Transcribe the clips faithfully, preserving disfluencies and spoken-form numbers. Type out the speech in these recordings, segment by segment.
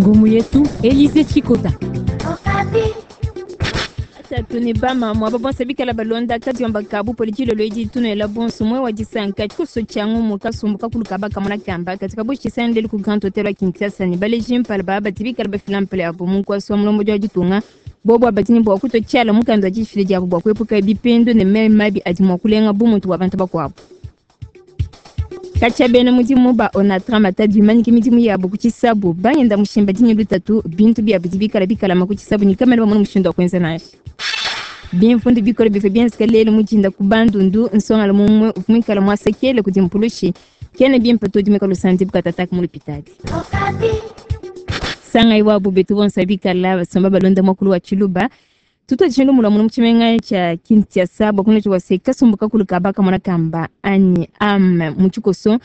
Ngumu yetu Elise Chikota. Tatu ne bamama aba bonso bikala balonda kadiomba kabu politilo lwedi tunoela bonso mwe wa disanka tshikoso tshia ngumu kasumbu kakulu kaba kamona kamba katika bushisani ku Grand Hotel wa Kinshasa ne baleji mpala baba badi bikala bafila mpala yabo mu nkuasa wa mulombodi wa ditunga bobo abadini bua kutotshiala mukanda wa difila diabo bua kuepuka bipendu ne meyi mabi adi mua kulenga bumuntu bua bantu bakuabu. Katshia bena mudimu ba Onatra Matadi bimanyike midimu yabo ku tshisabu bangenda mushimba dinyi lutatu bintu biabo bidi bikala bikalama ku tshisabu ne kamene bamona mushindu wa kuenza nansha. Bimfundu bikole bivua bienzeka lelu mudinda ku Bandundu nsongala mumue uvua muikala muasekele kudi mpulushi kene bimpe to dimeka lusanzi bukatataka mu lupitadi. Sangai wabu betu bonso bikala basomba balonda mwakulu wa Tshiluba tutuadije mulamu mu tshimenga tshia Kinshasa bua kunotshiwa se kasumbu kakulu kaba kamona kamba anyi am mu tshikoso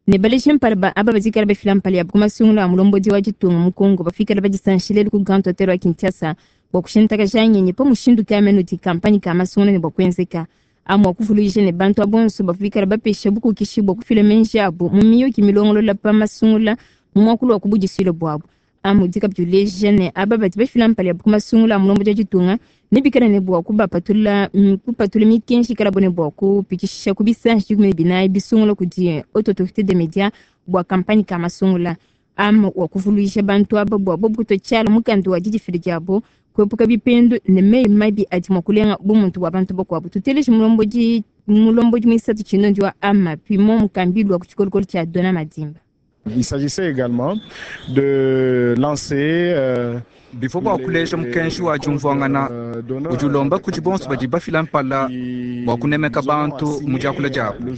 ne baleji mpala ba aba bazikala bafila mpala yabo ku masungula a mulombodi wa ditunga mu Kongo bafikala badisanshile ku Grand Hotel wa Kinshasa bua kushintakaja ngenyi pa mushindu kamene udi kampanye ka masungula ne bua kuenzeka amu akuvuluija ne bantu abonso bavua bapesha bukokeshi bua kufila menji abo mu miyuki milongolola pa masungula mu muakulu wa kubudisuile buabu. Amu udi kabidi uleja ne aba badi bafila mpala yabo ku masungula a mulombodi wa ditunga ne bikala ne bua kubapatula kupatula mikenji ikala bo ne bua kupitshisha ku bisanji dikumi ne binayi bisungula kudi haute autorité des médias bua kampanye ka masungula. Amu wa kuvuluija bantu aba bua bobu kutotshiala mukanda wa didifila diabo kuepuka bipendu ne meyi mabi adi mua kulenga bumuntu bua bantu bakuabu. Tuteleje mulombodi mulombodi muisatu tshinondi wa ama pimo mukambilu wa ku tshikolokolo tshia Dona Madimba. Il s'agissait également de lancer euh, bivua bua kuleja mukenji wa diumvuangana udi ulomba kudi bonso badi bafila mpala bua kunemeka bantu mu diakula diabu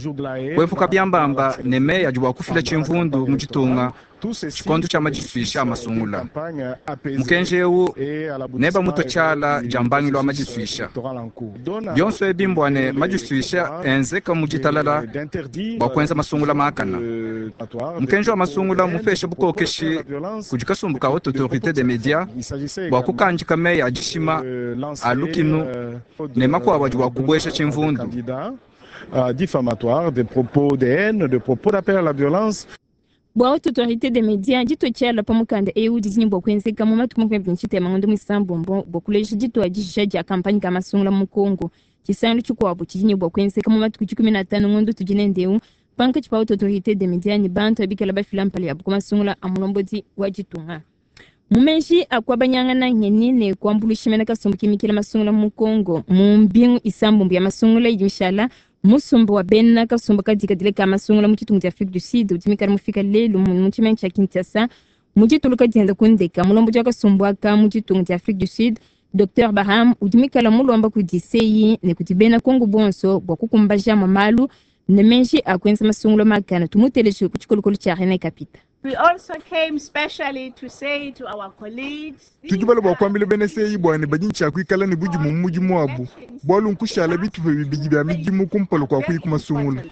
kuepuka biambamba ne meyi adi bua kufila tshimvundu mu ditunga tshikondo tshia madisuisha a masungula. Mukenji eu neba mutotshiala dia mbangilu wa madisuisha bionso ebi mbua ne madisuisha enzeka mu ditalala bua kuenza masungula makana. Mukenji wa masungula mupesha bukokeshi kudi kasumbu ka haute autorité des médias bua kukandika meyi a dishima a lukinu ne makuabu adi bua kubuesha tshimvundu. Diffamatoires, des propos de haine, des propos d'appel à la violence. Bua haute autorité des médias ditotshiala pa mukanda eu didi ne bua kuenzeka mu matuku makumi abidi ne tshitema ngondo muisambombo bua kuleja dituadija dia kampanye ka masungula mu Kongo. Tshisangilu tshikuabu tshidi ne bua kuenzeka mu matuku dikumi na atanu ngondo tudi nende eu pankatshi pa haute autorité des médias ne bantu abikala bafila mpala yabo ku masungula a mulombodi wa ditunga. Mu menji akuabanyangana ngenyi ne kuambuluisha mena kasumbu kimikila masungula mu Kongo mu mbingu isambombo ya masungula idi mishala musumba wa bena kasumbu kadikadile ka masungula mu tshitungu tshia Afrique du Sud udi mikala mufika lelu mu tshimenga tshia Kinshasa mu dituluka dienda kundeka mulombodi wa kasumbu aka mu tshitungu tshia Afrique du Sud Docteur Baham udi mikala mulomba kudi C I ne kudi bena Kongo bonso bua kukumbaja malu ne menji akuenza masungula makana. Tumuteleje ku tshikolokolo tshia René Kapita. We also came specially to say to our colleagues, tudi bala bua kuambila bena C I bua ne badi ntshia kuikala ne budimu mu mudimu wabu bualu nkushala bitupa bibidi bia midimu kumpala kua kuyi ku masungula.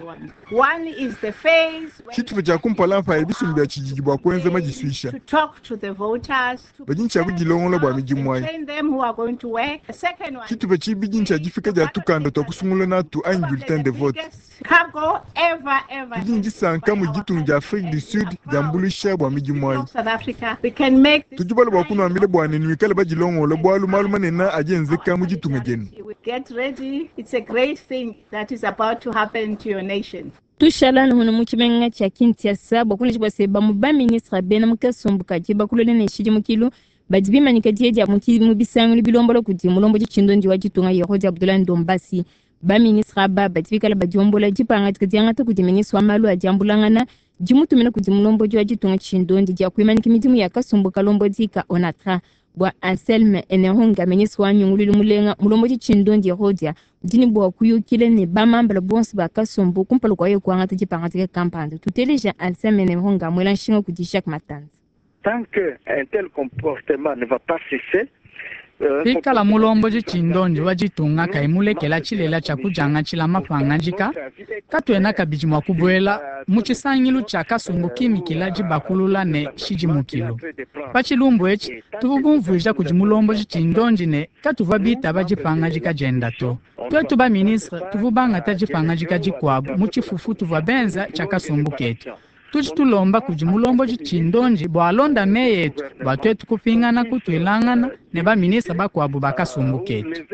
One is the phase tshitupa tshia kumpala mpa bisumbu bia tshididi bua kuenza madisuisha to talk to the voters, badi ntshia kudilongola bua midimu ayi. train them who are going to work. The second one, tshitupa tshibidi ntshia difika dia tukanda tua kusungula natu anyi bulletin de vote. cargo ever ever tudi ndisanka mu ditunga dia Afrique du Sud diambuluisha bua midimu ayi. South Africa, we can make this tudi bala bua kunuambila bua ne nuikale badilongola bualu malu manene adi enzeka mu ditunga dienu. Get ready, it's a great thing that is about to happen to your nation. Tushala nuhunu mu tshimenga tshia Kinshasa bua kuleja bua se bamu ba ministre bena mu kasumbu kadi bakulole ne tshidimukilu badi bimanyika die dia mu bisangilu bilombola kudi mulombodi tshindondi wa ditunga Yerodi Abdoulaye Ndombasi. Ba ministre aba badi bikala badiombola dipangadika diangata kudi ministre wa malu a diambulangana dimutumina kudi mulombodi wa ditunga tshindondi dia kuimanyika midimu ya kasumbu kalombodi ka Onatra. Bua Anselme Eneronga ministre wa nyungululu mulenga mulombodi tshindondi Yerodia udi ne bua kuyukila ne bamambala bonso ba kasumbu kumpala kua yeye kuangata dipangadika kampanda. Tuteleja Anselme Eneronga muela nshinga kudi Jacques Matanza. Tant que un tel comportement ne va pas cesser, Pikala mulombodi tshindondi wa ditunga kayi mulekela tshilela tshia kudiangatshila mapangadika katuena kabidi mua kubuela mu tshisangilu tshia kasumbu kimikila dibakulula ne tshidimukilu. Pa tshilumbu etshi tuvua bumvuija kudi mulombodi tshindondi ne katuvua bitaba dipangadika dienda to. Twetu ba ministre tuvua bangata dipangadika dikuabu mu tshifufu tuvua benza tshia kasumbu ketu. Tudi tulomba kudi mulomboji tshindonji bua alonda meyi etu bua tuetu kupingana kutuilangana ne baminista bakuabu ba kasumbu ketu.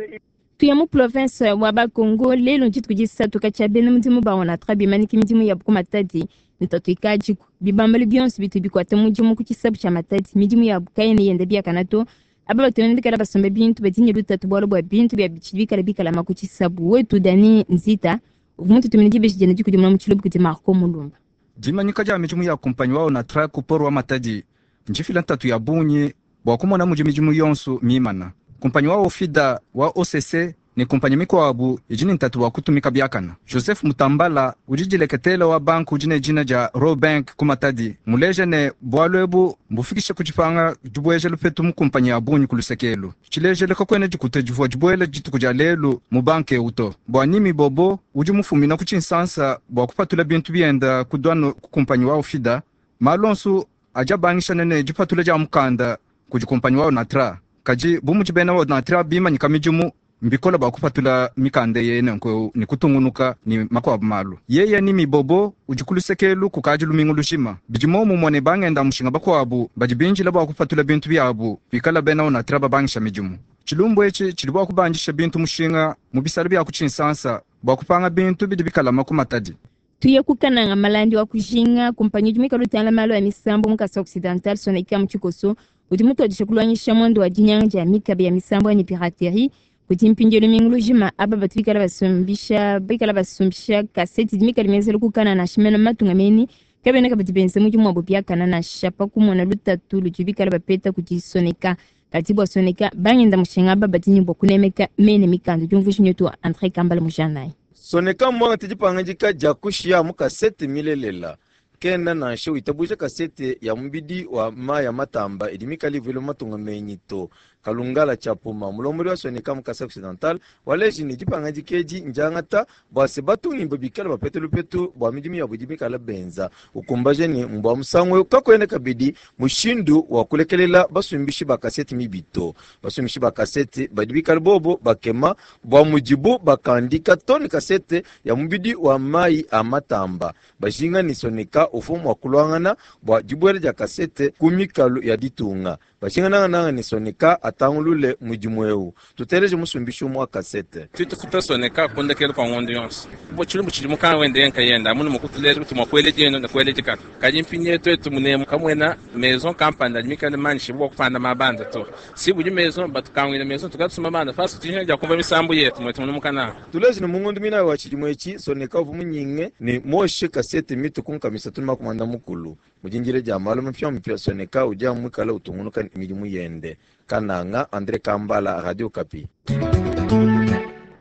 Tuya mu province wa Bakongo lelo ntshituku disatu katshia bena mudimu ba ONATRA bimaniki midimu yabu ku Matadi ntatu ikadiku bibambalu bionso bitu bikuata mudimu ku tshisabu tshia Matadi midimu yabu kayena yenda biakana to aba batu bikala basomba bintu badi ne lutatu bualu bua bintu bia bitshidi bikala bikalama ku tshisabu. Wetu Dani Nzita uvua mututumine dibeji diende dikudimuna mu tshiluba kudi Marco Mulumba. Dimanyika dia midimu ya kumpanyi wa ONATRA ku poro wa Matadi ndifila ntatu ya bungi bua kumona mudi midimu yonso mimana. Kumpanyi wa Ofida wa O C C ne kumpanyi mikuabu idi ne ntatu wa kutumika biakana. Joseph Mutambala udi dileketela wa banku udi ne dina dia Rawbank ku Matadi muleja ne bualu ebu mbufikishe ku dipanga dibueja lupetu mu kumpanyi ya bungi ku lusekelu. Tshilejele kakuena dikuta divua dibuela dituku dia lelu mu banke ewu to. Bua Nimi Bobo udi mufumina ku Tshinsansa bua kupatula bintu bienda ku douane ku kumpanyi wa Ofida malu onso adi abangishana ne dipatula dia mukanda kudi kumpanyi wa ONATRA. Kadi bu mudi bena ONATRA bimanyika midimu mbikola bua kupatula mikanda yene nko ne kutungunuka ne makuabu malu. Yeye ni mibobo udi ku lusekelu kukadi lumingu lujima. Bidi momumue ne bangenda mushinga bakuabu badi binjila bua kupatula bintu biabu bikala bena ONATRA babangisha midimu. Tshilumbu etshi tshidi bua kubandisha bintu mushinga mu bisalu bia ku Tshinsansa bua kupanga bintu bidi bikalama ku Matadi. Tuye kukananga malandi wa kujinga kumpanyi udi muikale utangila malu ya misambu mu Kasai Occidental Soneka mu tshikoso udi mutuadije kulwangisha mwendo wa dinyanga dia mikabe ya misambu anyi piraterie kuti mpindielu mingu lujima aba batu bikala basumbisha bikala basumbisha kaseti dimikala mienzela kukana nansha mena matunga meni kabena kabidi benza mudimu wabo biakana nansha pa kumona lutatu ludi bikala bapeta kuti Soneka kati bua Soneka bangenda mushinga aba badi ne bua kunemeka mene mikanda diumvuija nyetu Andre Kambala mujanayi. Soneka mwanga tidipangandika dia kushiya mu kasete milelela kena nansha witabuja kasete ya mubidi wa maya matamba idi mikala ivuile mu matunga menyi to. Kalungala Chapuma mulombodi wa Soneka mu Kasai Occidental waleji ne dipangandika edi ndiangata bua se batungimba bikala bapete lupetu bua midimu yabu idi mikala benza. Ukumbaje ne mbua musangu eu kakuena kabidi mushindu wa kulekelela basumbishi ba kasete mibi to. Basumbishi ba kasete badi bikala bobo bakema bua mudibu bakandika tone kasete ya mubidi wa mayi a matamba. Bajinga ne Soneka ufumu wa kulwangana bua dibuela dia kasete ku mikalu ya ditunga. Bajinga nangananga ne Soneka atangulule mudimu eu. Tuteleje musumbishi umwe wa kasete. Tutufuta Soneka kundekela kwa ngondo yonso. Bo tshilumbu tshidi mukanga wende yenka yenda amunu mukutuleja kuti mwakwele dienu na kwele dikata. Kadi mpinye twetu munemu kamwena maison kampanda mikale manshi bwa kupanda mabanda to. Si budi maison batukangwina maison tukatsuma mabanda fasi tinje ja kumva misambu yetu mwetu munumukana. Tuleje ne mungondo mina wa tshidimo etshi Soneka uvu munyinge ne moshe kasete mitu kunkamisa tuma kumanda mukulu. Mujinjire ja malu mupya mupya Soneka uja mwikala utungunuka midimu yende. Kananga Andre Kambala Radio Kapi.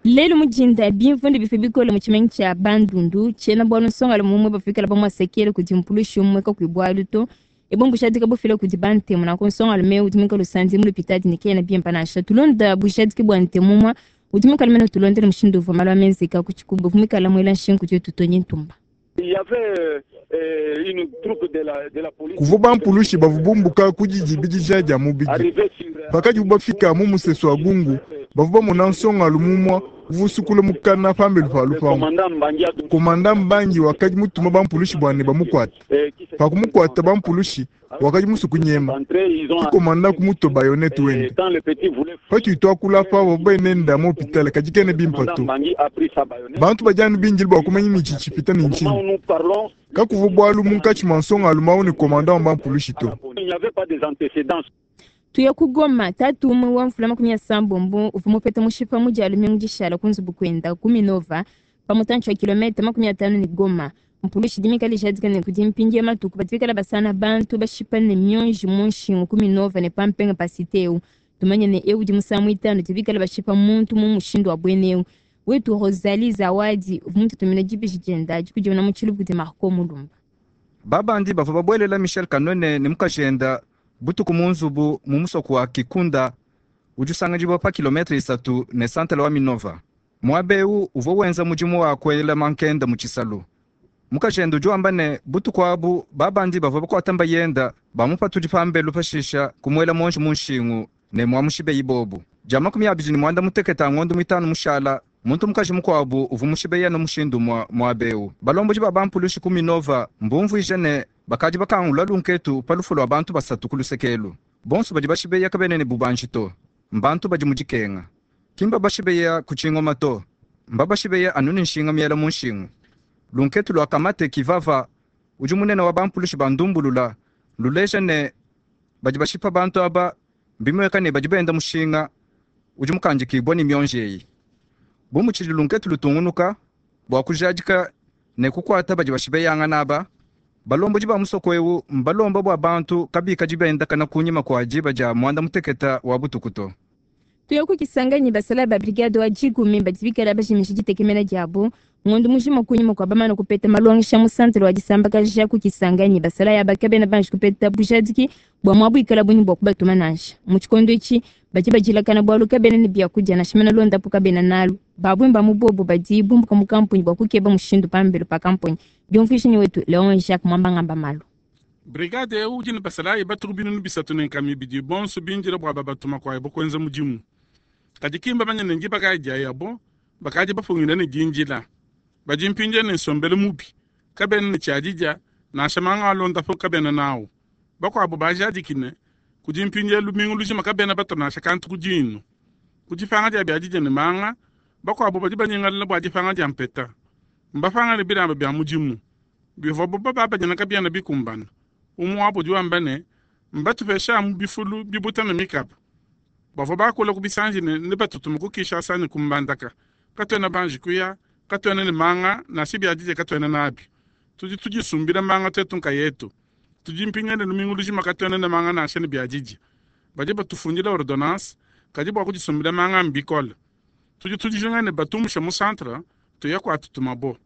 Lelo mujinda bimvundu bife bikole mu tshimenga tshia Bandundu tshiena bualu nsonga mumwe bafikala bamwasekele kudi mpulushi umwe kakuibwalu to ebombu bushadika bufile kudi bantemu nanku nsonga lume udi mwikale usanzi mu lupitadi ne kena bimpa nansha tulonda bushadiki bua ntemu mwa udi mwikale mene tulondele mushindu uvua malu amenzeka ku tshikubu mwikala mwela nshingu dietu tonye ntumba. Kuvu bampulushi bavubumbuka kudidibidija dia mubidi pakadi bafika mu musesu wa gungu bavu bamona nsonga lumumwa uvusukula mukana pambelu pa lupangu. Komanda Mbangi wakadi mutuma bampulushi bwane bamukwata pakumukwata bampulushi wakadi musu kunyema kikomanda kumuto bayonete wende patui twakula pa babenenda mu hopitale kadi kene bimpa to bantu badianu binjili bua kumanya ni tshitshipita ni ntshinyi kakuvu bualu munkatshi mua nsonga alumau ni komanda wa bampulushi to. Tuya kugoma tatu umwe wa mfula makumi ya sambombo uvua mupeta mushipa mudialu mingu dishala ku nzubu kwenda ku Minova pamutantshi wa kilomita makumi atanu ni Goma. Mpulushi dimikala ijadika ne kudi mpindi ya matuku badi basana bantu bashipa ne mionji mu nshingu ku Minova ne pampenga pa site eu. Tumanye ne eu udi musangu itanu dibikala bashipa muntu mu mushindu wa bwene eu. Wetu Rosalie Zawadi uvua mututumina dibeji dienda dikudimuna mu tshiluba kudi Marco Mulumba. Babandi bavua babuelela Michel Kanone ne mukajenda butuku mu nzubu mu musoko wa Kikunda udi usanganyibwa pa kilometre isatu ne santele wa Minova. Muaba eu uvua wenza mudimu wa kuela mankenda mu tshisalu. Mukajenda udi wamba ne butuku abu babandi bavua bakuata mbayenda bamupatudi pambelu pashisha kumuela monji mu nshingu ne mwamushibe ibobu. Dia makumi abidi ne mwanda mutekete a ngondo mitanu mushala Muntu mukaji mukuabu uvua mushibeya no mushindu mwa muaba eu. Balomboji ba bampulushi ku Minova mbumvuije ne bakadi bakangula lunketu pa lufu lua bantu basatu ku lusekelu. Bonso badi bashibeya kabena ne bubanji to, mbantu badi mu dikenga. Ki mbabashibeya ku tshingoma to, mbabashibeya anu ne nshinga miela mu nshingu. Lunketu lua Kamate Kivava udi munene wa bampulushi ba ndumbulula luleja ne badi bashipa bantu aba mbimueka ne badi benda mushinga udi mukandikibua ne mionji eyi. Bu mutshidi lunketu lutungunuka bua kujadika ne kukuata badi bashibeyangana aba, balombodi ba musoko eu mbalomba bua bantu kabikadi bendakana kunyima kua diba dia mwanda muteketa wa butuku to. Tuya ku Kisangani, basala ba brigade wa dikumi badi bikala bajimisha ditekemena diabu ngondo mujima kunyima kua bamana kupeta malongesha mu santere wa disambakaja ku Kisangani. Basala yaba kabena banji kupeta bujadiki bua muabu ikala bunyi bua kubatuma nansha mu tshikondo etshi. Badi badilakana bualu kabena ne biakudia nansha mena londapu kabena nalu. Babwimba mu bobo badi bumbuka mu kampunyi bua kukeba mushindu pambelo pa kampunyi. Diumvuisha wetu Leon Jacques Mwambangamba malu. Brigade eu udi ne basalayi batuku binunu bisatu ne nkama ibidi bonso bindila bua babatuma kwaye bokwenza mudimu. Kadi kimba banyene ngi bakadi yabo bakadi bafungila ne dinjila. Badi mpinje ne nsombelu mubi kabena ne tshiadidia nansha manga alonda po kabena nawo. Bakwabo bajadikine kudi mpinje lumingu lujima kabena bato nansha kantu kudinu. Kudifanga dia biadidia ne manga bakwabo badi banyingalala bua difanga dia mpeta. Mbafanga ne bilamba bya mudimu bivua bo baba kabiana bikumbana. Umwe udi wamba ne mbatupesha mu bifulu bibuta na mikapa. Bavua bakula ku bisanji ne ne batutuma ku Kinshasa ne ku Mbandaka. Katwena banji kuya, katwena ne manga nansha biadidia katwena nabi. Tudi tudisumbila manga twetu nkayetu. Tudi mpingane lumingu lujima katwena ne manga nansha ne biadidia. Badi batufundila ordonnance kadi bua kudisumbila manga mbikole. Tudi tudijinga ne batumusha mu centre tuya kwa tutuma bo.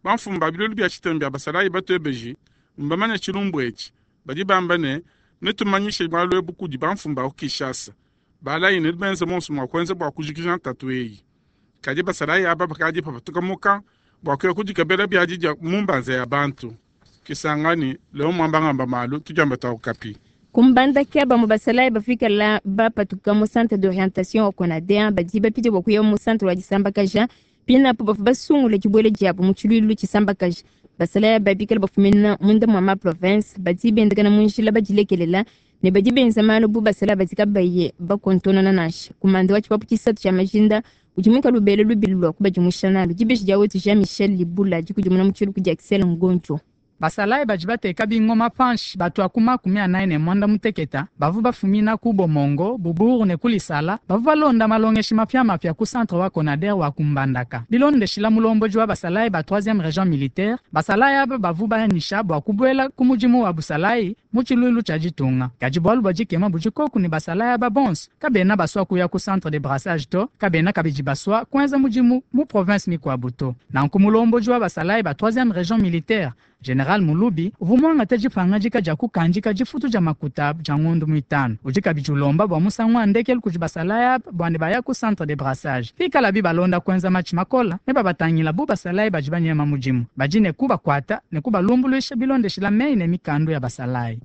Bamfumu ba bilulu bya tshitembe bya basalayi batwebeji mbamanya tshilumbu etshi. Badi bamba ne netumanyishe bualu ebu kudi bamfumu ba ku Kinshasa. Balayi ne benze monso mua kuenza bua kujikija ntatu eyi. Kadi basalayi aba bakadi papatuka muka bua kuya kudikebela biadidia mu mbanza ya bantu. Kisangani Leo Mwambangamba malu tujamba twa Okapi. Kumbandaka bamwe basalayi bafika la bapatuka mu centre d'orientation wa Conadea badi bapite bua kuya mu centre wa disambakaja. Pinapo bavua basungula dibuela diabu mu tshiluilu tshisambakaja. Basalayi babikala bafumina munda mua ma province badi bendakana mu njila badilekelela ne badi benza malu bu basalayi badi kabaye bakontonona nansha. Kumanda wa tshipapu tshisatu tshia majinda udi muikale ubela lubili lua kubadimusha nalu. Dibeji dia wetu Jean Michel Libula dikudimuna mu tshiluku dia Axel Ngoncho. Basalayi badi bateka bingoma panshi batua ku makumi anayi ne mwanda muteketa bavua bafumina ku Bomongo, Buburu ne Kulisala bavua balonda malongeshi mapiamapia ku centre wa Conader wa Kumbandaka. Bilondeshila mulomboji wa basalayi ba troisième région militaire, basalayi aba bavua banyisha bua kubuela ku mudimu wa busalayi mu tshiluilu tshia ditunga. Kadi bualu bua dikema budi koku ne basalayi aba bonso kabena basua kuya ku centre de brassage to, kabena kabidi basua kuenza mudimu mu province mikuabu to. Nanku mulomboji wa basalayi ba troisième région militaire General Mulubi uvua muangate dipangadika dia kukandika difutu dia makuta dia ngondo mitano. Udi kabidi ulomba bua musangu wa ndekelu kudi basalayi aba bua ne baya ku centre de brassage. Pikalabi balonda kuenza matshi makola ne babatangila bu basalayi badi banyema mudimu. Badi ne kubakuata ne kubalumbuluisha bilondeshila meyi ne mikando ya basalayi.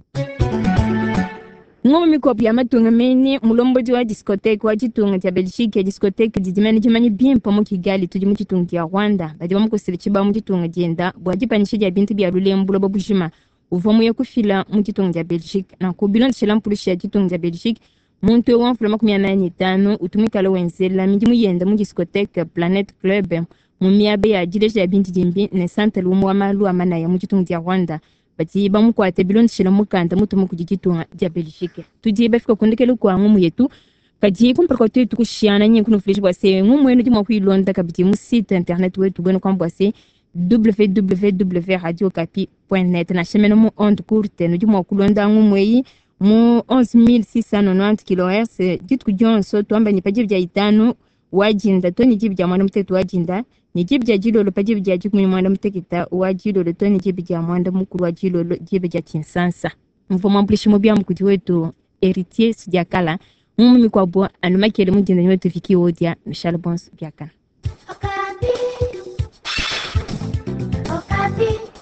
Ngoma mikuabu ya matunga mene mulombodi wa discothèque wa ditunga dia Belgique ya discothèque didimene dimanye bimpe mu Kigali tudi mu ditunga dia Rwanda. Badi bamukosela tshibawu mu ditunga dienda bua dipanyisha dia bintu bia lulembu buloba bujima uvua muye kufila mu ditunga dia Belgique. Nanku bilondeshela mpulushi ya ditunga dia Belgique muntu eu wa mvula makumi anayi ne itanu utu muikale wenzela midimu yenda mu discothèque Planet Club mu miaba ya dileja ya bintu dimbi ne santere umue wa malu a manaya mu ditunga dia Rwanda. Badi bamukuate bilondeshela mukanda mutumu kudi ditunga dia Belgique. Tudi bafika kundekela kwa ngumu yetu kadi kumpala kwa twetu kushiana nyi kunufulisha bua se ngumu yenu di mua kuilonda kabidi mu site internet wetu bwenu kwamba bua se w w w radio okapi point net nansha mene mu onde courte nudi mua kulonda ngumu eyi mu onze mille six cent nonante kilohertz dituku dionso tuamba ni pa diba dia itanu wajinda to ni diba dia mwanda mutekete wajinda ni diba dia dilolo pa diba dia dikumi mwanda mutekete wa dilolo to ni diba dia mwanda mukulu wa dilolo diba dia Kinshasa. Mvua mwambulishi mubia mukudi wetu Héritier Sudiakala mumu mikuabu anu makele mudinda wetu Viki Odia Michel Bons Biakana. Okapi. Okapi.